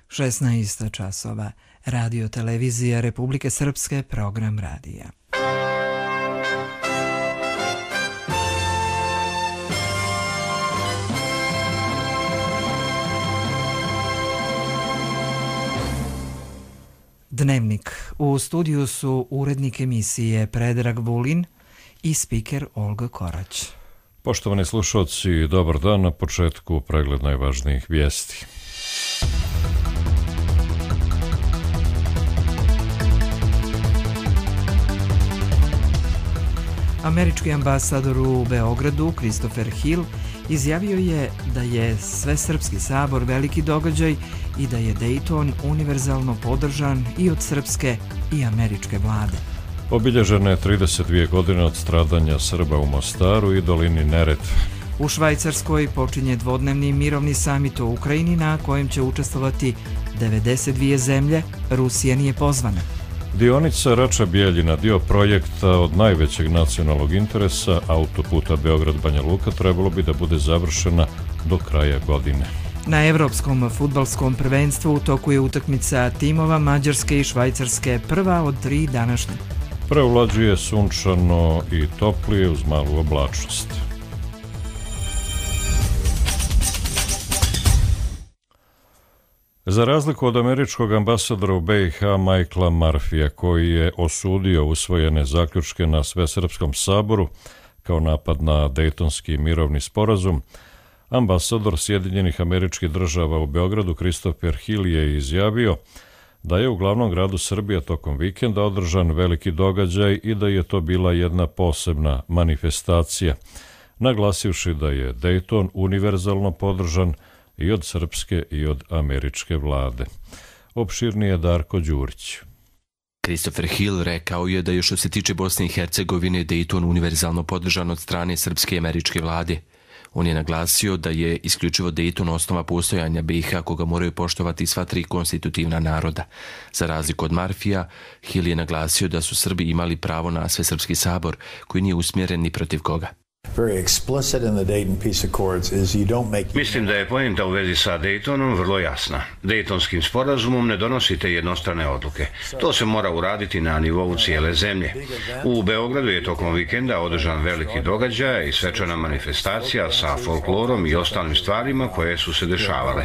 16 časova. Radio televizija Republike Srpske, program radija. Dnevnik. U studiju su urednik emisije Predrag Vulin i spiker Olga Korać. Poštovani slušalci, dobar dan. Na početku pregled najvažnijih vijesti. Američki ambasador u Beogradu, Christopher Hill, izjavio je da je Svesrpski sabor veliki događaj i da je Dayton univerzalno podržan i od srpske i američke vlade. Obilježene 32 godine od stradanja Srba u Mostaru i dolini Neretve. U Švajcarskoj počinje dvodnevni mirovni samit o Ukrajini na kojem će učestvovati 92 zemlje, Rusija nije pozvana. Dionica Rača-Bijeljina, dio projekta od najvećeg nacionalnog interesa, autoputa Beograd-Banja Luka, trebalo bi da bude završena do kraja godine. Na evropskom fudbalskom prvenstvu u toku je utakmica timova Mađarske i Švajcarske, prva od 3 današnje. Prevlađuje sunčano i toplije uz malu oblačnost. Za razliku od američkog ambasadora u BiH Michaela Murphyja, koji je osudio usvojene zaključke na Svesrpskom saboru kao napad na Dejtonski mirovni sporazum, ambasador Sjedinjenih Američkih Država u Beogradu Christopher Hill je izjavio da je u glavnom gradu Srbije tokom vikenda održan veliki događaj i da je to bila jedna posebna manifestacija, naglasivši da je Dejton univerzalno podržan i od srpske i od američke vlade. Opširnije Darko Đurić. Christopher Hill rekao je da je što se tiče Bosne i Hercegovine Dayton univerzalno podržan od strane srpske i američke vlade. On je naglasio da je isključivo Dayton osnova postojanja BiH koga moraju poštovati sva 3 konstitutivna naroda. Za razliku od Murphyja, Hill je naglasio da su Srbi imali pravo na Svesrpski sabor koji nije usmjeren ni protiv koga. Mislim da je poenta u vezi sa Daytonom vrlo jasna. Daytonskim sporazumom ne donosite jednostrane odluke. To se mora uraditi na nivou cijele zemlje. U Beogradu je tokom vikenda održan veliki događaj i svečana manifestacija sa folklorom i ostalim stvarima koje su se dešavale.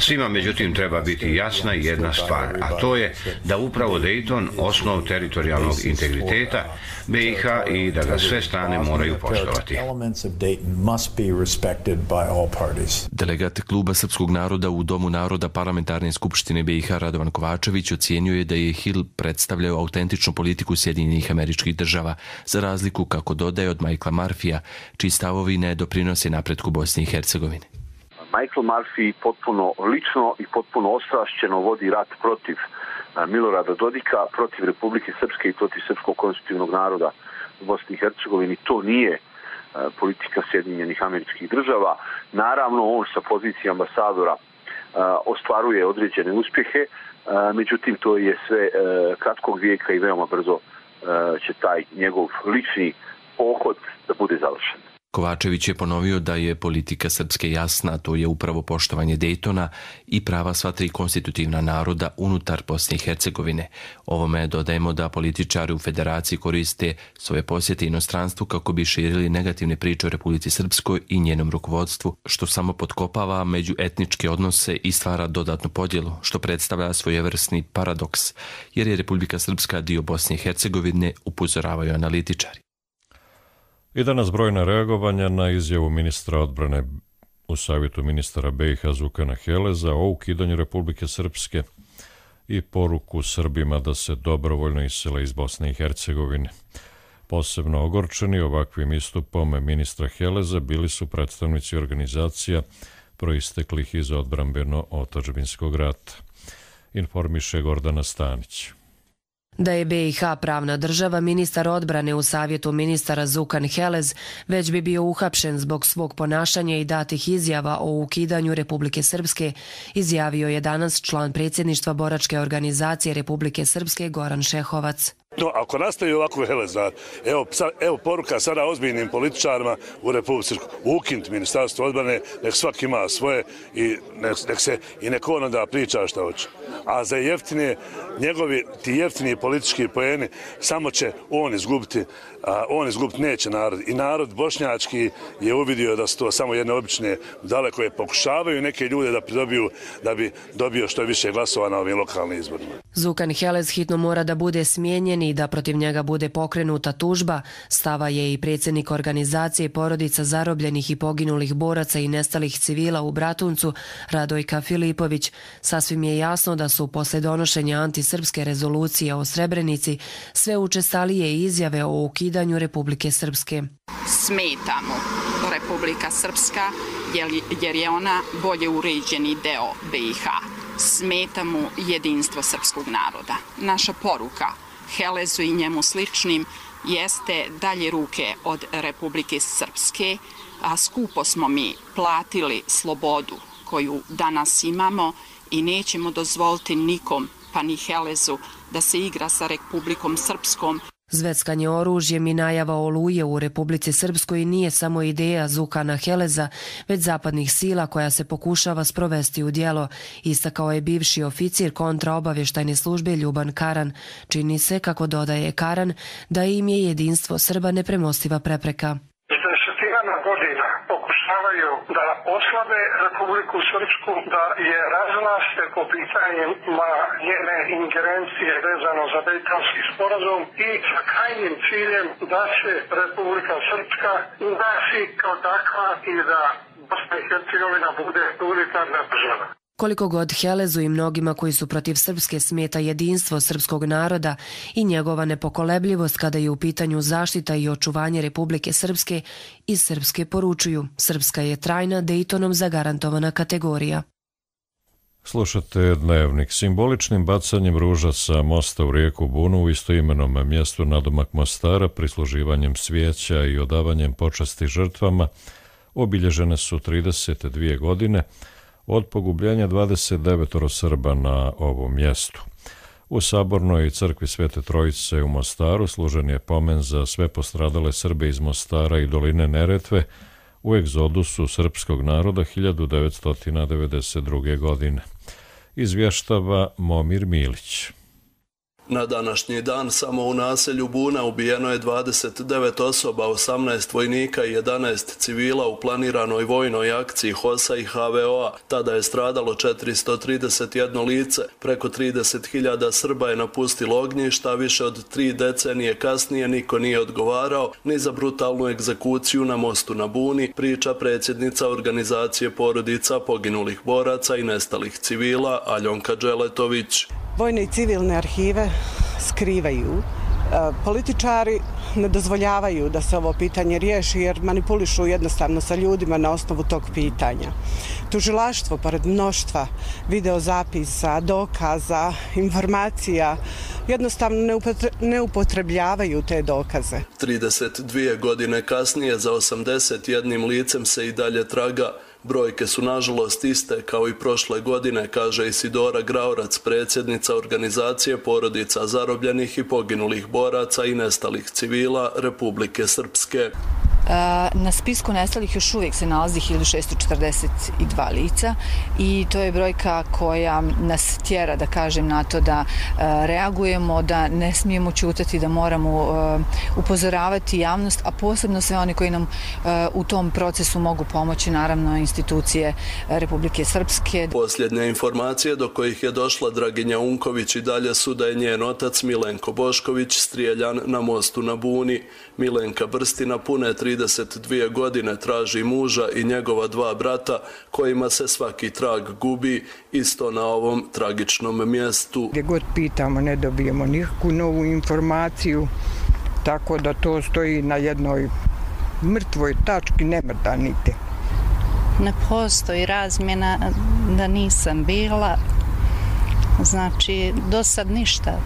Svima međutim treba biti jasna jedna stvar, a to je da upravo Dayton osnov teritorijalnog integriteta BiH i da ga sve strane moraju poštovati. Delegat Kluba srpskog naroda u Domu naroda Parlamentarne skupštine BiH Radovan Kovačević ocijenio je da je Hill predstavljao autentičnu politiku Sjedinjenih Američkih Država, za razliku, kako dodaje, od Michaela Murphyja, čiji stavovi ne doprinose napretku Bosne i Hercegovine. Michael Murphy potpuno lično i potpuno ostrašćeno vodi rat protiv Milorada Dodika, protiv Republike Srpske i protiv srpskog konstitutivnog naroda u Bosni i Hercegovini. To nije politika Sjedinjenih Američkih Država. Naravno, on sa pozicije ambasadora ostvaruje određene uspjehe, međutim, to je sve kratkog vijeka i veoma brzo će taj njegov lični pohod da bude završen. Kovačević je ponovio da je politika Srpske jasna, to je upravo poštovanje Daytona i prava sva 3 konstitutivna naroda unutar Bosne i Hercegovine. Ovome dodajemo da političari u federaciji koriste svoje posjete inostranstvu kako bi širili negativne priče o Republici Srpskoj i njenom rukovodstvu, što samo potkopava međuetničke odnose i stvara dodatnu podjelu, što predstavlja svojevrsni paradoks, jer je Republika Srpska dio Bosne i Hercegovine, upozoravaju analitičari. I danas brojna reagovanja na izjavu ministra odbrane u savjetu ministara BiH Zukana Heleza o ukidanju Republike Srpske i poruku Srbima da se dobrovoljno isele iz Bosne i Hercegovine. Posebno ogorčeni ovakvim istupom ministra Heleza bili su predstavnici organizacija proisteklih iz odbrambeno-otadžbinskog rata. Informiše Gordana Stanić. Da je BiH pravna država, ministar odbrane u savjetu ministara Zukan Helez već bi bio uhapšen zbog svog ponašanja i datih izjava o ukidanju Republike Srpske, izjavio je danas član predsjedništva boračke organizacije Republike Srpske Goran Šehovac. No, ako nastavi ovako Helez, evo poruka sada ozbiljnim političarima u Republici, ukinuti ministarstvo odbrane, nek svaki ima svoje i nek on onda priča šta hoće. A za ti jeftini politički poeni samo će on izgubiti, a on izgubiti neće narod. I narod bošnjački je uvidio da su to samo jedne obične budale koje pokušavaju neke ljude da pridobiju da bi dobio što više glasova na ovim lokalnim izborima. Zukan Helez hitno mora da bude smijenjen i da protiv njega bude pokrenuta tužba, stava je i predsjednik organizacije porodica zarobljenih i poginulih boraca i nestalih civila u Bratuncu, Radojka Filipović. Sasvim je jasno da su posle donošenja antisrpske rezolucije o Srebrenici sve učestalije izjave o ukidanju Republike Srpske. Smeta mu Republika Srpska jer je ona bolje uređeni deo BiH. Smeta mu jedinstvo srpskog naroda. Naša poruka Helezu i njemu sličnim jeste dalje ruke od Republike Srpske, a skupo smo mi platili slobodu koju danas imamo i nećemo dozvoliti nikom, pa ni Helezu, da se igra sa Republikom Srpskom. Zveckanje oružjem i najava oluje u Republici Srpskoj nije samo ideja Zukana Heleza, već zapadnih sila koja se pokušava sprovesti u djelo, istakao je bivši oficir kontraobavještajne službe Ljuban Karan. Čini se, kako dodaje Karan, da im je jedinstvo Srba nepremostiva prepreka. Godina pokušavaju da oslabe Republiku Srpsku, da je razvlaste po pitanjima njene ingerencije vezano za Dejtonski sporazum i sa krajnjim ciljem da se Republika Srpska ugasi kao takva i da Bosna i Hercegovina bude unitarna država. Koliko god Helezu i mnogima koji su protiv Srpske smeta jedinstvo srpskog naroda i njegova nepokolebljivost kada je u pitanju zaštita i očuvanje Republike Srpske, iz Srpske poručuju: Srpska je trajna, Dejtonom zagarantovana kategorija. Slušate Dnevnik. Simboličnim bacanjem ruža sa mosta u rijeku Bunu u istoimenom mjestu nadomak Mostara, prisluživanjem svijeća i odavanjem počasti žrtvama obilježene su 32 godine od pogubljenja 29 Srba na ovom mjestu. U Sabornoj crkvi Svete Trojice u Mostaru služen je pomen za sve postradale Srbe iz Mostara i doline Neretve u egzodusu srpskog naroda 1992. godine. Izvještava Momir Milić. Na današnji dan samo u naselju Buna ubijeno je 29 osoba, 18 vojnika i 11 civila u planiranoj vojnoj akciji HOS-a i HVO-a. Tada je stradalo 431 lice. Preko 30.000 Srba je napustilo ognjišta, a više od 3 decenije kasnije niko nije odgovarao ni za brutalnu egzekuciju na mostu na Buni, priča predsjednica organizacije porodica poginulih boraca i nestalih civila Aljonka Dželetović. Vojne i civilne arhive skrivaju. Političari ne dozvoljavaju da se ovo pitanje riješi jer manipulišu jednostavno sa ljudima na osnovu tog pitanja. Tužilaštvo, pored mnoštva videozapisa, dokaza, informacija, jednostavno ne upotrebljavaju te dokaze. 32 godine kasnije za 81 licem se i dalje traga. Brojke su nažalost iste kao i prošle godine, kaže Isidora Graorac, predsjednica organizacije porodica zarobljenih i poginulih boraca i nestalih civila Republike Srpske. Na spisku nestalih još uvijek se nalazi 1642 lica i to je brojka koja nas tjera, da kažem, na to da reagujemo, da ne smijemo ćutati, da moramo upozoravati javnost, a posebno sve oni koji nam u tom procesu mogu pomoći, naravno institucije Republike Srpske. Posljednje informacije do kojih je došla Draginja Unković i dalje su da je njen otac Milenko Bošković strijeljan na mostu na Buni. Milenka Brstina pune 32 godine traži muža i njegova 2 brata kojima se svaki trag gubi, isto na ovom tragičnom mjestu. Gdje god pitamo ne dobijemo nikakvu novu informaciju, tako da to stoji na jednoj mrtvoj tački, ne mrda niti. Ne postoji razmjena da nisam bila, znači do sad ništa.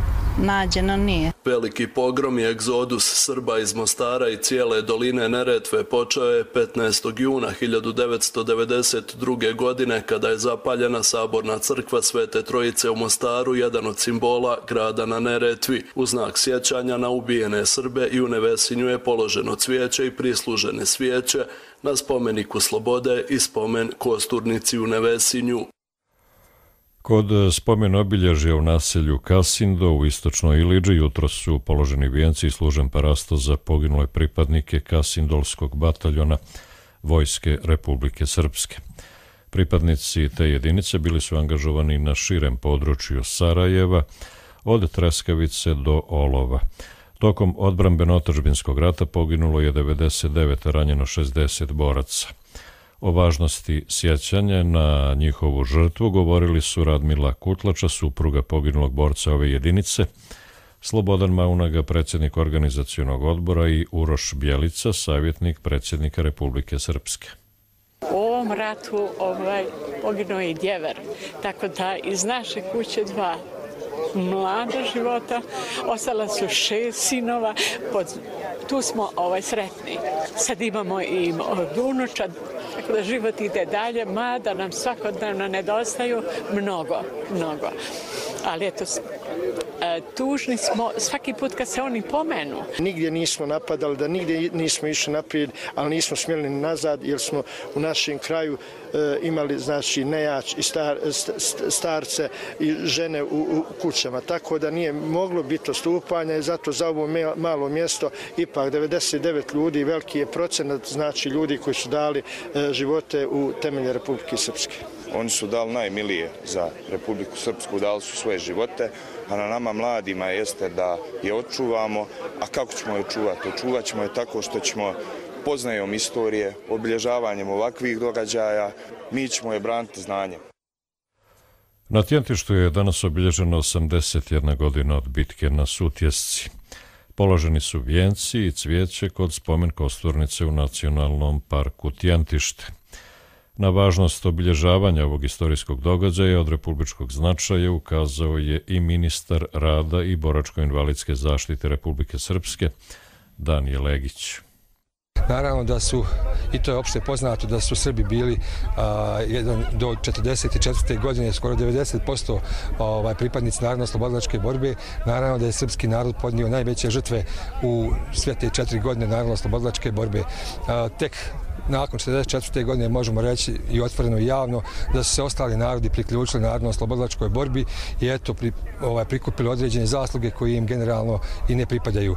nađeno nije. Veliki pogrom i egzodus Srba iz Mostara i cijele doline Neretve počeo je 15. juna 1992. godine kada je zapaljena saborna crkva Svete Trojice u Mostaru, jedan od simbola grada na Neretvi. U znak sjećanja na ubijene Srbe i u Nevesinju je položeno cvijeće i prislužene svijeće na spomeniku Slobode i spomen kosturnici u Nevesinju. Kod spomen obilježja u naselju Kasindo u istočnoj Iliđi jutro su položeni vijenci i služen parasto za poginule pripadnike Kasindolskog bataljona Vojske Republike Srpske. Pripadnici te jedinice bili su angažovani na širem području Sarajeva, od Treskavice do Olova. Tokom odbrambeno-otadžbinskog rata poginulo je 99, ranjeno 60 boraca. O važnosti sjećanja na njihovu žrtvu govorili su Radmila Kutlača, supruga poginulog borca ove jedinice, Slobodan Maunaga, predsjednik organizacionog odbora, i Uroš Bjelica, savjetnik predsjednika Republike Srpske. U ovom ratu poginuo je i djever, tako da iz naše kuće 2 mlada života, ostala su 6 sinova, tu smo sretni. Sad imamo i unučad, tako da život ide dalje, mada nam svakodnevno nedostaju mnogo. Ali eto, tužni smo svaki put kad se oni pomenu. Nigdje nismo napadali, da nigdje nismo išli naprijed, ali nismo smjeli nazad jer smo u našem kraju imali nejač i starce i žene u kućama. Tako da nije moglo biti odstupanja i zato za ovo malo mjesto ipak 99 ljudi, veliki je procenat ljudi koji su dali živote u temelje Republike Srpske. Oni su dali najmilije za Republiku Srpsku, dali su svoje živote, a na nama mladima jeste da je očuvamo. A kako ćemo je očuvati? Očuvat ćemo je tako što ćemo poznajom istorije, obilježavanjem ovakvih događaja, mi ćemo je braniti znanjem. Na Tjentištu je danas obilježeno 81 godina od bitke na Sutjesci. Položeni su vijenci i cvijeće kod spomen kosturnice u Nacionalnom parku Tjentište. Na važnost obilježavanja ovog istorijskog događaja od republičkog značaja ukazao je i ministar rada i boračko-invalidske zaštite Republike Srpske, Danije Legić. Naravno da su, i to je opšte poznato, da su Srbi bili do 1944. godine skoro 90% pripadnici Narodno-oslobodilačke borbe. Naravno da je srpski narod podnio najveće žrtve u sve te 4 godine Narodno-oslobodilačke borbe. Tek nakon 1944. godine možemo reći i otvoreno i javno da su se ostali narodi priključili Narodno-oslobodilačkoj borbi i eto prikupili određene zasluge koje im generalno i ne pripadaju.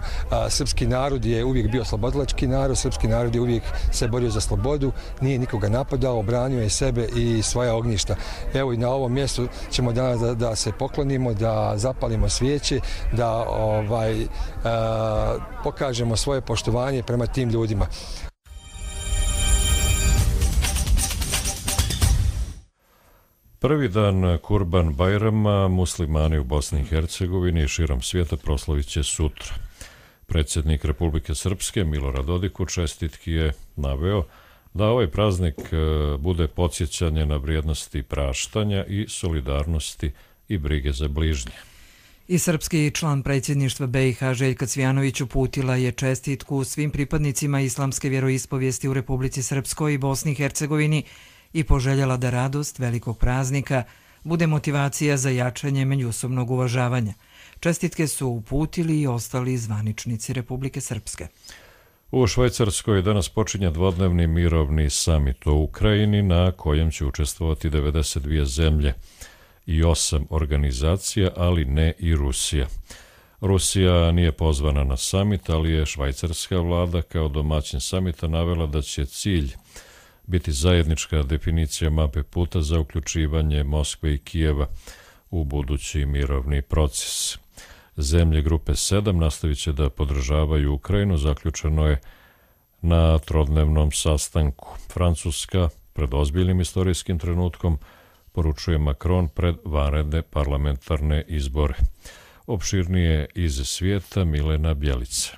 Srpski narod je uvijek bio oslobodilački narod, srpski narod je uvijek se borio za slobodu, nije nikoga napadao, branio je sebe i svoja ognjišta. Evo i na ovom mjestu ćemo danas da se poklonimo, da zapalimo svijeće, da pokažemo svoje poštovanje prema tim ljudima. Prvi dan Kurban Bajrama muslimani u Bosni i Hercegovini i širom svijeta proslavit će sutra. Predsjednik Republike Srpske Milorad Dodik u čestitki je naveo da ovaj praznik bude podsjećanje na vrijednosti praštanja i solidarnosti i brige za bližnje. I srpski član predsjedništva BiH Željka Cvijanović uputila je čestitku svim pripadnicima islamske vjeroispovijesti u Republici Srpskoj i Bosni i Hercegovini i poželjela da radost velikog praznika bude motivacija za jačanje međusobnog uvažavanja. Čestitke su uputili i ostali zvaničnici Republike Srpske. U Švajcarskoj danas počinje dvodnevni mirovni samit o Ukrajini na kojem će učestvovati 92 zemlje i 8 organizacija, ali ne i Rusija. Rusija nije pozvana na samit, ali je švajcarska vlada kao domaćin samita navela da će cilj biti zajednička definicija mape puta za uključivanje Moskve i Kijeva u budući mirovni proces. Zemlje grupe 7 nastavit će da podržavaju Ukrajinu, zaključeno je na trodnevnom sastanku. Francuska pred ozbiljnim istorijskim trenutkom, poručuje Macron pred vanredne parlamentarne izbore. Opširnije iz svijeta Milena Bjelica.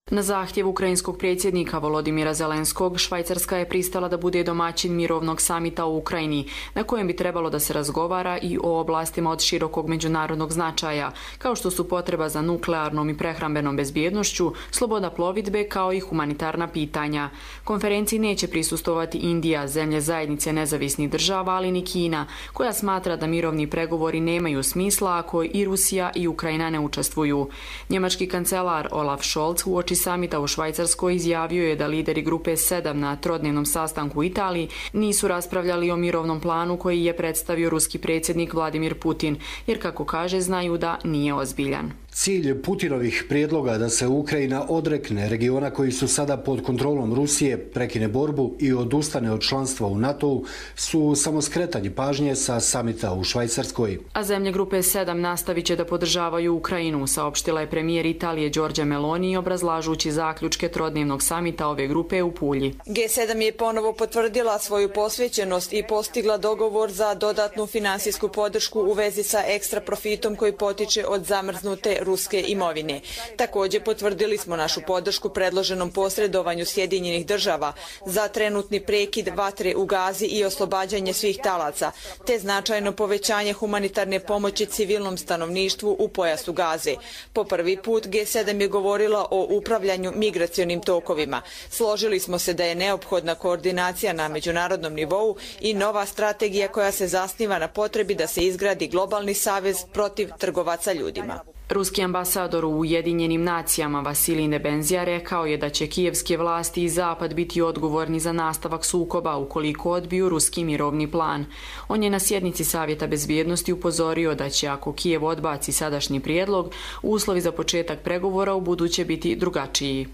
Na zahtjev ukrajinskog predsjednika Volodimira Zelenskog, Švajcarska je pristala da bude domaćin mirovnog samita u Ukrajini, na kojem bi trebalo da se razgovara i o oblastima od širokog međunarodnog značaja, kao što su potreba za nuklearnom i prehrambenom bezbjednošću, sloboda plovidbe kao i humanitarna pitanja. Konferenciji neće prisustovati Indija, zemlje zajednice nezavisnih država, ali ni Kina, koja smatra da mirovni pregovori nemaju smisla ako i Rusija i Ukrajina ne učestvuju. Njemački kancelar Olaf Scholz uoči samita u Švajcarskoj izjavio je da lideri grupe 7 na trodnevnom sastanku u Italiji nisu raspravljali o mirovnom planu koji je predstavio ruski predsjednik Vladimir Putin, jer kako kaže znaju da nije ozbiljan. Cilj Putinovih prijedloga da se Ukrajina odrekne regiona koji su sada pod kontrolom Rusije, prekine borbu i odustane od članstva u NATO-u su samo skretanje pažnje sa samita u Švajcarskoj. A zemlje grupe 7 nastavit će da podržavaju Ukrajinu, saopštila je premijer Italije Giorgia Meloni obrazlažući zaključke trodnevnog samita ove grupe u Pulji. G7 je ponovo potvrdila svoju posvećenost i postigla dogovor za dodatnu finansijsku podršku u vezi sa ekstra profitom koji potiče od zamrznute ruske imovine. Također potvrdili smo našu podršku predloženom posredovanju Sjedinjenih država za trenutni prekid vatre u Gazi i oslobađanje svih talaca, te značajno povećanje humanitarne pomoći civilnom stanovništvu u pojasu Gaze. Po prvi put G7 je govorila o upravljanju migracionim tokovima. Složili smo se da je neophodna koordinacija na međunarodnom nivou i nova strategija koja se zasniva na potrebi da se izgradi globalni savez protiv trgovaca ljudima. Ruski ambasador u Ujedinjenim nacijama Vasilij Nebenzija rekao je da će kijevske vlasti i Zapad biti odgovorni za nastavak sukoba ukoliko odbiju ruski mirovni plan. On je na sjednici Savjeta bezbjednosti upozorio da će ako Kijev odbaci sadašnji prijedlog, uslovi za početak pregovora u buduće biti drugačiji.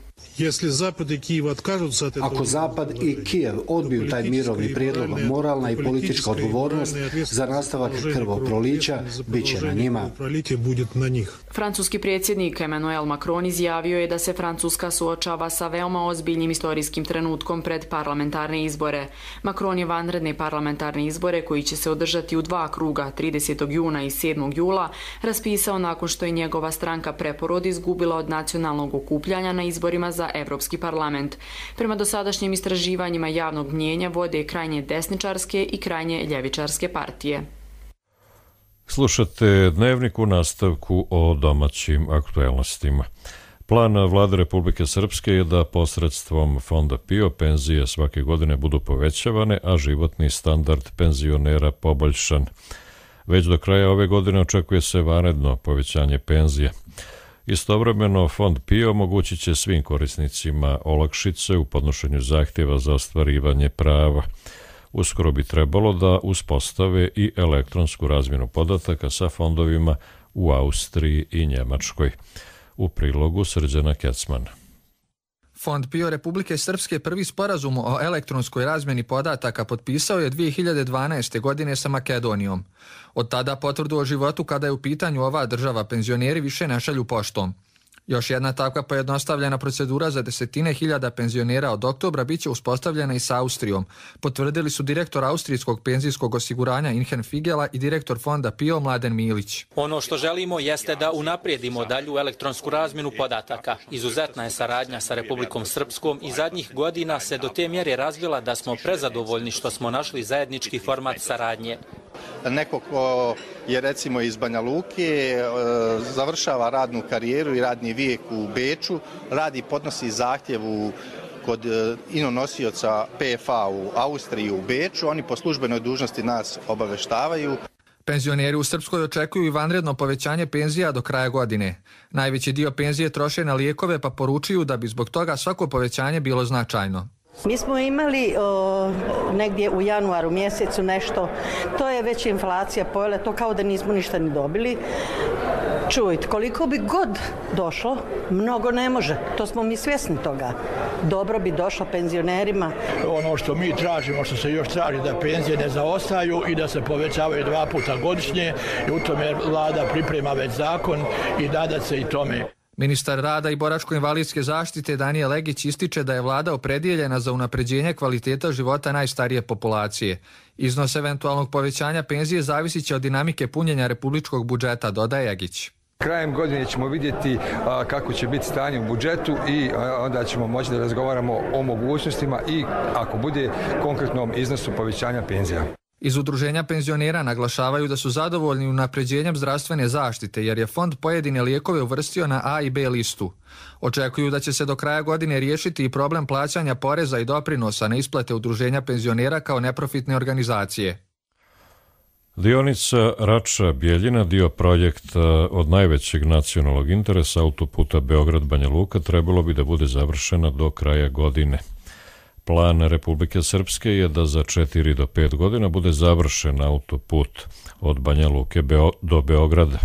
Ako Zapad i Kijev odbiju taj mirovni prijedlog, moralna i politička odgovornost za nastavak krvoprolića bit će na njima. Francuski predsjednik Emmanuel Macron izjavio je da se Francuska suočava sa veoma ozbiljnim istorijskim trenutkom pred parlamentarne izbore. Macron je vanredne parlamentarne izbore, koji će se održati u 2 kruga 30. juna i 7. jula, raspisao nakon što je njegova stranka Preporod izgubila od nacionalnog okupljanja na izborima za Evropski parlament. Prema dosadašnjim istraživanjima javnog mnjenja vode krajnje desničarske i krajnje ljevičarske partije. Slušate Dnevnik u nastavku o domaćim aktuelnostima. Plan Vlade Republike Srpske je da posredstvom Fonda PIO penzije svake godine budu povećavane, a životni standard penzionera poboljšan. Već do kraja ove godine očekuje se vanredno povećanje penzije. Istovremeno, Fond PIO omogućit će svim korisnicima olakšice u podnošenju zahtjeva za ostvarivanje prava. Uskoro bi trebalo da uspostave i elektronsku razmjenu podataka sa fondovima u Austriji i Njemačkoj. U prilogu Srđana Kecman. Fond PIO Republike Srpske prvi sporazum o elektronskoj razmjeni podataka potpisao je 2012. godine sa Makedonijom. Od tada potvrdu o životu kada je u pitanju ova država penzioneri više ne šalju poštom. Još jedna takva pojednostavljena procedura za desetine hiljada penzionera od oktobra bit će uspostavljena i sa Austrijom, potvrdili su direktor Austrijskog penzijskog osiguranja Inhen Figela i direktor Fonda PIO Mladen Milić. Ono što želimo jeste da unaprijedimo dalju elektronsku razmjenu podataka. Izuzetna je saradnja sa Republikom Srpskom i zadnjih godina se do te mjere razvila da smo prezadovoljni što smo našli zajednički format saradnje. Neko ko je recimo iz Banja Luke, završava radnu karijeru i radni vijek u Beču, podnosi zahtjev kod inonosioca PFA u Austriji u Beču, oni po službenoj dužnosti nas obaveštavaju. Penzioneri u Srpskoj očekuju i vanredno povećanje penzija do kraja godine. Najveći dio penzije troše na lijekove, pa poručuju da bi zbog toga svako povećanje bilo značajno. Mi smo imali negdje u januaru mjesecu nešto, to je već inflacija pojela, to kao da nismo ništa ni dobili. Čujte, koliko bi god došlo, mnogo ne može, to smo mi svjesni toga. Dobro bi došlo penzionerima. Ono što mi tražimo, što se još traži, da penzije ne zaostaju i da se povećavaju 2 puta godišnje, i u tome vlada priprema već zakon i nada se i tome. Ministar rada i boračko-invalidske zaštite Danijel Legić ističe da je vlada opredijeljena za unapređenje kvaliteta života najstarije populacije. Iznos eventualnog povećanja penzije zavisit će od dinamike punjenja republičkog budžeta, dodaje Legić. Krajem godine ćemo vidjeti kako će biti stanje u budžetu i onda ćemo moći da razgovaramo o mogućnostima i ako bude konkretnom iznosu povećanja penzija. Iz Udruženja penzionera naglašavaju da su zadovoljni unapređenjem zdravstvene zaštite jer je fond pojedine lijekove uvrstio na A i B listu. Očekuju da će se do kraja godine riješiti i problem plaćanja poreza i doprinosa na isplate Udruženja penzionera kao neprofitne organizacije. Dionica Rača-Bjeljina, dio projekta od najvećeg nacionalnog interesa autoputa Beograd-Banja Luka, trebalo bi da bude završena do kraja godine. Plan Republike Srpske je da za 4 do 5 godina bude završen autoput od Banja Luke do Beograda.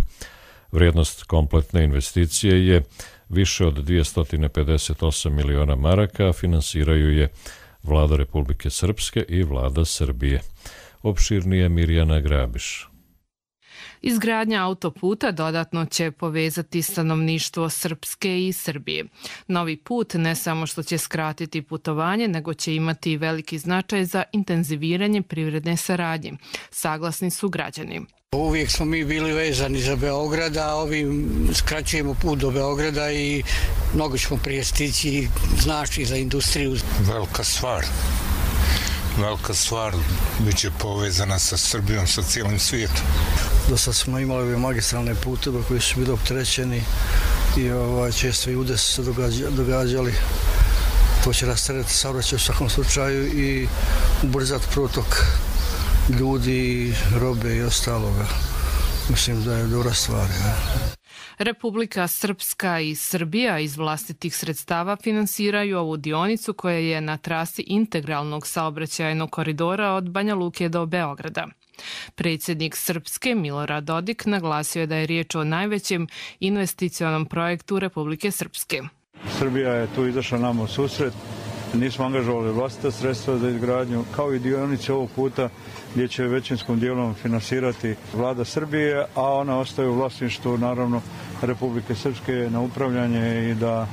Vrijednost kompletne investicije je više od 258 miliona maraka, a finansiraju je Vlada Republike Srpske i Vlada Srbije. Opširnije Mirjana Grabiš. Izgradnja autoputa dodatno će povezati stanovništvo Srpske i Srbije. Novi put ne samo što će skratiti putovanje, nego će imati veliki značaj za intenziviranje privredne saradnje. Saglasni su građani. Uvijek smo mi bili vezani za Beograd, a ovim skraćujemo put do Beograda i mnogo ćemo prije stići, znači za industriju. Velika stvar, bit će povezana sa Srbijom, sa cijelim svijetom. Do sad smo imali ove magistralne puteve koji su bili opterećeni i često i udesi se događali. To će rasteretiti saobraćaj u svakom slučaju i ubrzati protok ljudi, robe i ostaloga. Mislim da je dobra stvar. Republika Srpska i Srbija iz vlastitih sredstava finansiraju ovu dionicu koja je na trasi integralnog saobraćajnog koridora od Banja Luke do Beograda. Predsjednik Srpske Milorad Dodik naglasio je da je riječ o najvećem investicionom projektu Republike Srpske. Srbija je tu izašla nama u susret. Nismo angažovali vlastita sredstva za izgradnju, kao i dionice ovog puta gdje će većinskom dijelom finansirati Vlada Srbije, a ona ostaje u vlasništvu, naravno, Republike Srpske na upravljanje i da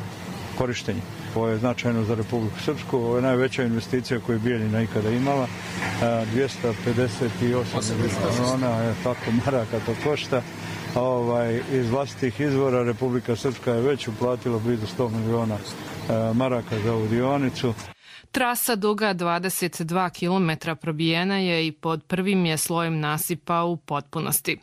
korištenje. Ovo je značajno za Republiku Srpsku, ovo je najveća investicija koju je Bijeljina ikada imala, 258 miliona, tako maraka to košta. Iz vlastitih izvora Republika Srpska je već uplatila blizu 100 miliona maraka za ovu dionicu. Trasa duga 22 km probijena je i pod prvim je slojem nasipa u potpunosti.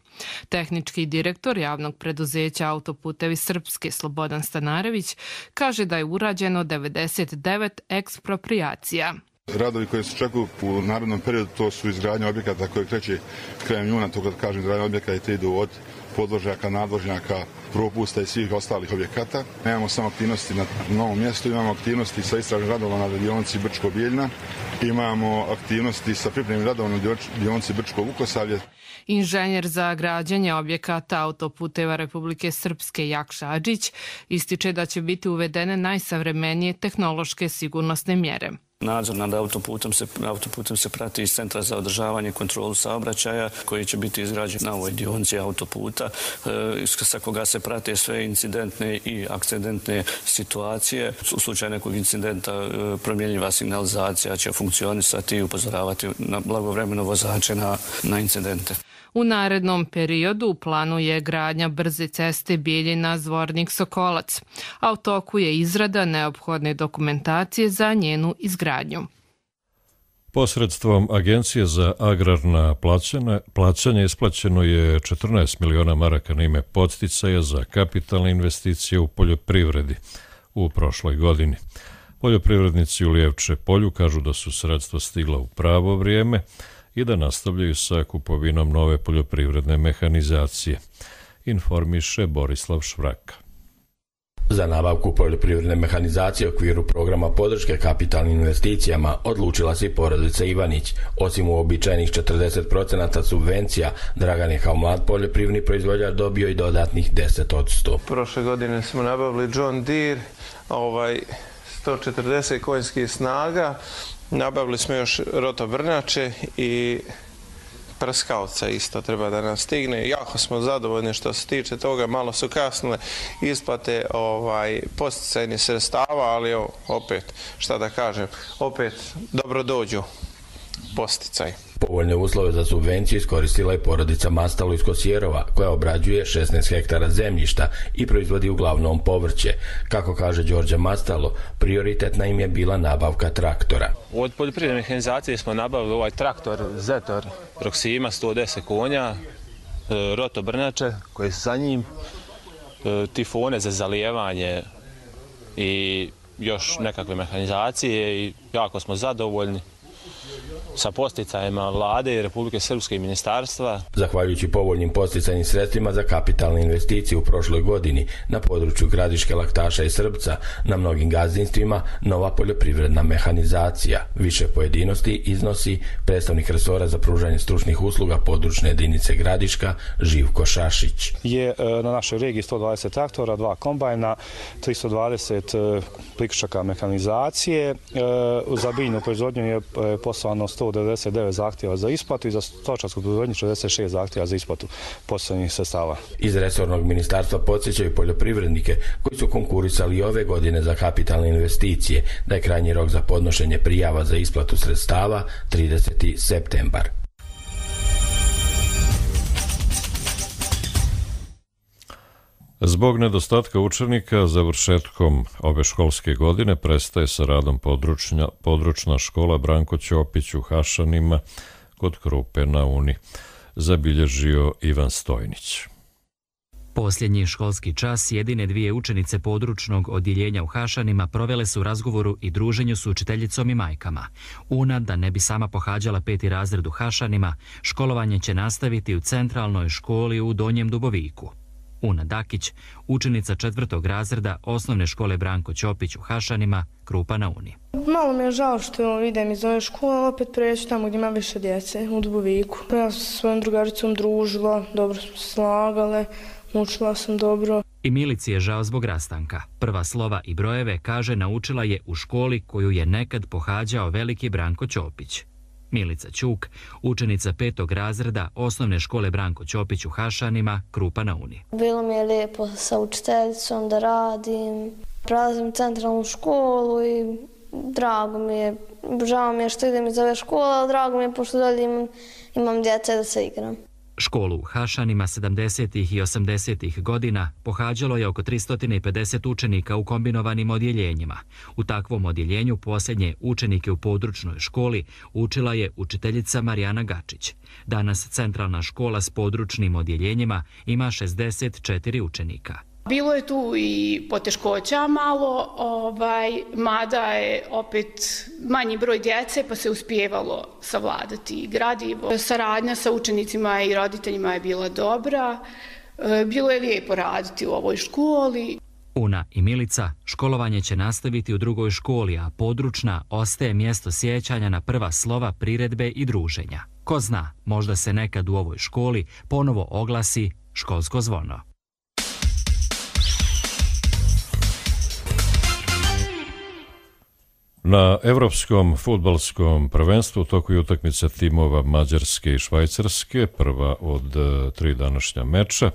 Tehnički direktor javnog preduzeća Autoputevi Srpske Slobodan Stanarević kaže da je urađeno 99 eksproprijacija. Radovi koji se očekuju u narednom periodu to su izgradnja objekata koje kreće krajem juna, to kad kažem izgradnja objekata idu od podvožnjaka, nadvožnjaka, propusta i svih ostalih objekata. Nemamo samo aktivnosti na novom mjestu, imamo aktivnosti sa istražnim radovima na dionici Brčko-Bjeljina, imamo aktivnosti sa pripremnim radovima na dionici Brčko-Vukosavlje. Inženjer za građenje objekata Autoputeva Republike Srpske Jakša Adžić ističe da će biti uvedene najsavremenije tehnološke sigurnosne mjere. Nadzor nad autoputem se prati iz Centra za održavanje i kontrolu saobraćaja koji će biti izgrađen na ovoj dionici autoputa sa koga se prate sve incidentne i akcidentne situacije. U slučaju nekog incidenta promjenjiva signalizacija će funkcionisati i upozoravati na blagovremeno vozače na incidente. U narednom periodu u planu je gradnja brze ceste Bijeljina-Zvornik-Sokolac, a u toku je izrada neophodne dokumentacije za njenu izgradnju. Posredstvom Agencije za agrarna plaćanja isplaćeno je 14 miliona maraka na ime podsticaja za kapitalne investicije u poljoprivredi u prošloj godini. Poljoprivrednici u Lijevče polju kažu da su sredstva stigla u pravo vrijeme i da nastavljaju sa kupovinom nove poljoprivredne mehanizacije, informiše Borislav Švraka. Za nabavku poljoprivredne mehanizacije u okviru programa podrške kapitalnim investicijama odlučila se i porodica Ivanić. Osim uobičajenih 40% subvencija, Dragan je kao mlad poljoprivredni proizvođač dobio i dodatnih 10%. Prošle godine smo nabavili John Deere, 140 konjskih snaga, nabavili smo još rotobrnače i prskavca isto treba da nam stigne. Jako smo zadovoljni što se tiče toga, malo su kasnile isplate posticajnih sredstava, ali opet, šta da kažem, opet dobro dođu. posticaj. Povoljne uslove za subvenciju iskoristila je porodica Mastalo iz Kosjerova, koja obrađuje 16 hektara zemljišta i proizvodi uglavnom povrće. Kako kaže Đorđe Mastalo, prioritetna im je bila nabavka traktora. Od poljoprivredne mehanizacije smo nabavili ovaj traktor Zetor Proxima 110 konja, rotobrnače koje su sa njim, tifone za zalijevanje i još nekakve mehanizacije i jako smo zadovoljni sa posticajima Vlade i Republike Srpske i ministarstva. Zahvaljujući povoljnim posticajnim sredstvima za kapitalne investicije u prošloj godini na području Gradiške, Laktaša i Srbca, na mnogim gazdinstvima nova poljoprivredna mehanizacija. Više pojedinosti iznosi predstavnik resora za pružanje stručnih usluga područne jedinice Gradiška Živko Šašić. Je na našoj regiji 120 traktora, 2 kombajna, 320 priključaka mehanizacije. Za biljnu proizvodnju je poslano 199 zahtjeva za isplatu i za stočarsku proizvodnju 66 zahtjeva za isplatu poslovnih sredstava. Iz resornog ministarstva podsjećaju poljoprivrednike koji su konkurisali ove godine za kapitalne investicije da je krajnji rok za podnošenje prijava za isplatu sredstava 30. septembar. Zbog nedostatka učenika, završetkom ove školske godine prestaje sa radom područna škola Branko Ćopić u Hašanima kod Krupe na Uni, zabilježio Ivan Stojnić. Posljednji školski čas jedine dvije učenice područnog odjeljenja u Hašanima provele su u razgovoru i druženju s učiteljicom i majkama. Una, da ne bi sama pohađala 5. razred u Hašanima, školovanje će nastaviti u centralnoj školi u Donjem Duboviku. Una Dakić, učenica 4. razreda osnovne škole Branko Ćopić u Hašanima, Krupa na Uni. Malo mi je žao što idem iz ove škole, ali opet preći tamo gdje ima više djece, u Duboviku. Ja sam sa svojom drugaricom družila, dobro smo se slagale, učila sam dobro. I Milici je žao zbog rastanka. Prva slova i brojeve, kaže, naučila je u školi koju je nekad pohađao veliki Branko Ćopić. Milica Ćuk, učenica 5. razreda osnovne škole Branko Ćopić u Hašanima, Krupa na Uni. Bilo mi je lijepo sa učiteljicom da radim, prelazim centralnu školu i drago mi je. Žao mi je što idem iz ove škole, ali drago mi je pošto dalje imam djece da se igram. Školu u Hašanima 70. i 80. godina pohađalo je oko 350 učenika u kombinovanim odjeljenjima. U takvom odjeljenju posljednje učenike u područnoj školi učila je učiteljica Marijana Gačić. Danas centralna škola s područnim odjeljenjima ima 64 učenika. Bilo je tu i poteškoća malo, mada je opet manji broj djece pa se uspijevalo savladati gradivo. Saradnja sa učenicima i roditeljima je bila dobra, bilo je lijepo raditi u ovoj školi. Una i Milica školovanje će nastaviti u drugoj školi, a područna ostaje mjesto sjećanja na prva slova, priredbe i druženja. Ko zna, možda se nekad u ovoj školi ponovo oglasi školsko zvono. Na Evropskom fudbalskom prvenstvu tokuju utakmice timova Mađarske i Švajcarske, prva od 3 današnja meča.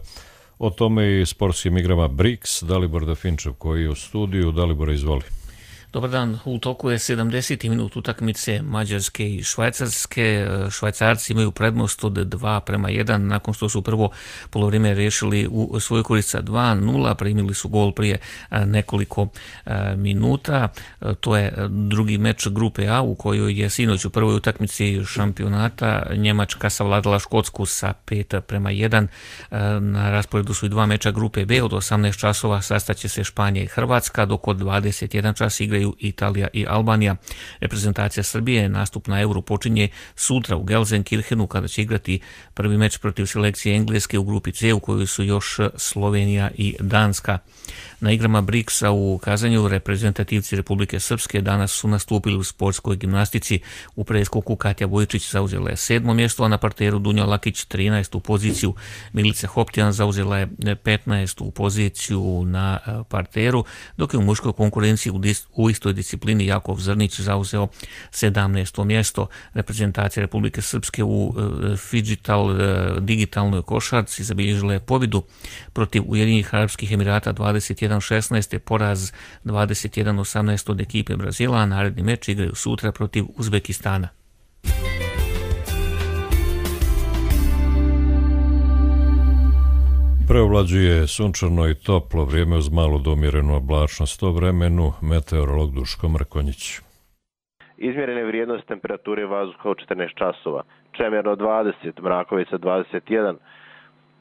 O tome i sportskim igrama BRICS, Dalibor Dafinčev koji je u studiju. Dalibor, izvoli. Dobar dan, u toku je 70. minut utakmice Mađarske i Švajcarske. Švajcarci imaju prednost od 2:1 nakon što su prvo polovrijeme riješili u svojoj korist sa 2:0, primili su gol prije nekoliko minuta. To je drugi meč grupe A u kojoj je sinoć u prvoj utakmici šampionata Njemačka savladala Škotsku sa 5:1. Na rasporedu su i 2 meča grupe B, od 18 časova sastaće se Španija i Hrvatska, dok od 21 čas igraju Italija i Albanija. Reprezentacija Srbije nastup na Euro počinje sutra u Gelsenkirchenu kada će igrati prvi meč protiv selekcije Engleske u grupi C u kojoj su još Slovenija i Danska. Na igrama BRICS-a u Kazanju reprezentativci Republike Srpske danas su nastupili u sportskoj gimnastici. U preskoku Katja Vojčić zauzela je 7. mjesto, a na parteru Dunja Lakić 13. poziciju. Milica Hoptjan zauzela je 15. poziciju na parteru, dok je u muškoj konkurenciji u istoj disciplini Jakov Zrnić zauzeo 17. mjesto. Reprezentacija Republike Srpske u digitalnoj košarci zabilježila je pobjedu protiv Ujedinjenih Arapskih Emirata 21-16, poraz 21-18 od ekipe Brazila, a naredni meč igraju sutra protiv Uzbekistana. Preovlađuje sunčano i toplo vrijeme uz malu do umjerenu oblačnost. O vremenu meteorolog Duško Mrkonjić. Izmjerene vrijednosti temperature vazduha u 14 časova. Čemerno 20, Mrakovica 21,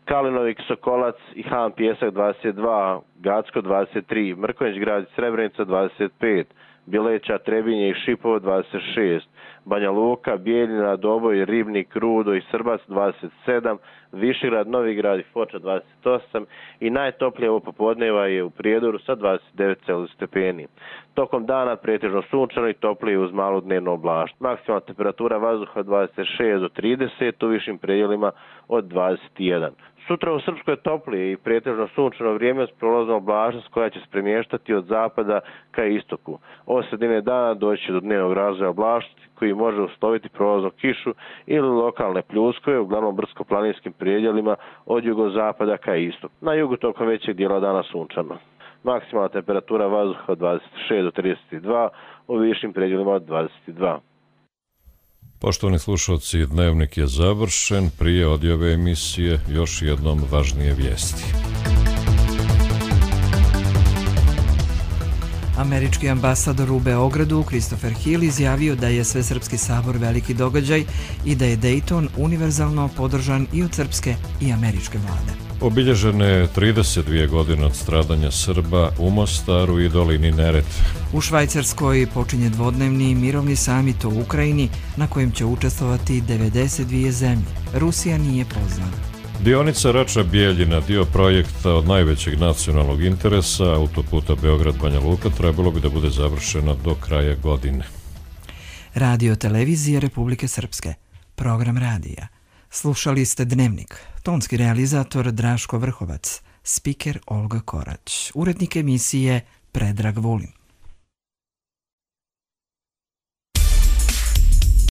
Kalinovik, Sokolac i Han Pjesak 22, Gacko 23, Mrkonjić grad i Srebrenica 25, Bileća, Trebinje i Šipovo 26, Banja Luka, Bijeljina, Doboj, Ribnik, Rudo i Srbac 27, Višegrad, Novigrad i Foča 28 i najtoplije ovo popodneva je u Prijedoru sa 29 stepeni. Tokom dana pretežno sunčano i toplije uz malu dnevnu oblačnost. Maksimalna temperatura vazduha 26 do 30, u višim predjelima od 21. Sutra u Srpskoj je toplije i pretežno sunčano vrijeme uz prolaznu oblačnost koja će se premještati od zapada ka istoku. Od sredine dana doći do dnevnog razvoja oblačnosti koji može usloviti prolaznu kišu ili lokalne pljuskove, uglavnom brdsko-planinskim predjelima od jugozapada ka istoku. Na jugu tokom većeg dijela dana sunčano. Maksimalna temperatura vazduha od 26 do 32, u višim predjelima od 22. Poštovani slušalci, dnevnik je završen. Prije odjave emisije još jednom važnije vijesti. Američki ambasador u Beogradu, Christopher Hill, izjavio da je Svesrpski sabor veliki događaj i da je Dayton univerzalno podržan i od srpske i američke vlade. Obilježene 32 godine od stradanja Srba u Mostaru i dolini Neretve. U Švajcarskoj počinje dvodnevni mirovni samit o Ukrajini na kojem će učestvovati 92 zemlje. Rusija nije pozvana. Dionica Rača-Bijeljina, dio projekta od najvećeg nacionalnog interesa, autoputa Beograd-Banja Luka, trebalo bi da bude završeno do kraja godine. Radio televizije Republike Srpske. Program radija. Slušali ste Dnevnik. Tonski realizator Draško Vrhovac. Spiker Olga Korać. Urednik emisije Predrag Vulin.